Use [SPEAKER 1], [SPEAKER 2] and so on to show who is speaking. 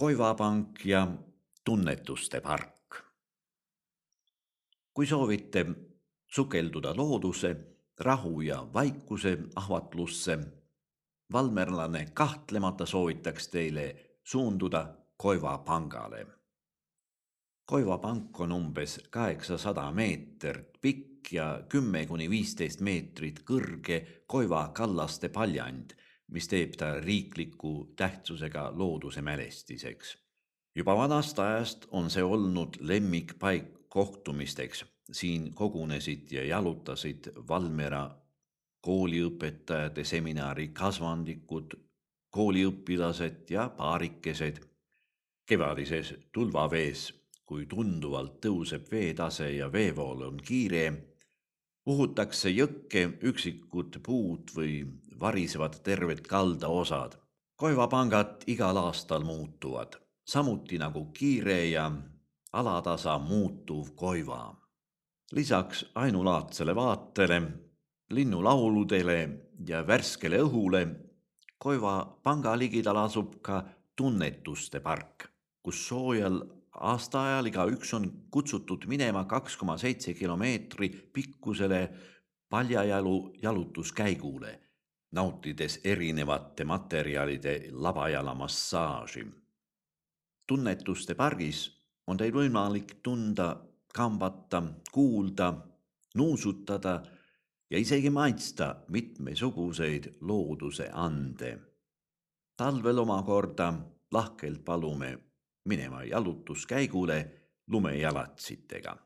[SPEAKER 1] Koivapank ja tunnetuste park. Kui soovite sukelduda looduse, rahu ja vaikuse ahvatlusse, valmerlane kahtlemata soovitaks teile suunduda Koiva pangale. Koiva pank on umbes 800 meetrit pikk ja 10–15 meetrit kõrge Koiva kallaste paljand, mis teeb ta riikliku tähtsusega looduse mälestiseks. Juba vanast ajast on see olnud lemmikpaik kohtumisteks. Siin kogunesid ja jalutasid Valmiera kooliõpetajate seminari kasvandikud, kooliõpilased ja paarikesed. Kevadises tulvavees, kui tunduvalt tõuseb veetase ja veevool on kiire, uhutakse jõkke üksikud puud või varisevad terved kaldaosad. Koivapangad igal aastal muutuvad, samuti nagu kiire ja alatasa muutuv Koiva. Lisaks ainulaadsele vaatele, linnulauludele ja värskele õhule, Koiva panga ligidal asub ka tunnetuste park, kus soojal aastaajal igaüks on kutsutud minema 2,7 kilomeetri pikkusele paljajalu jalutuskäigule, nautides erinevate materjalide labajala massaaži. Tunnetuste pargis on teil võimalik tunda, kambata, kuulda, nuusutada ja isegi maitsta mitmesuguseid looduse ande. Talvel omakorda lahkelt palume minema jalutuskäigule lumejalatsitega.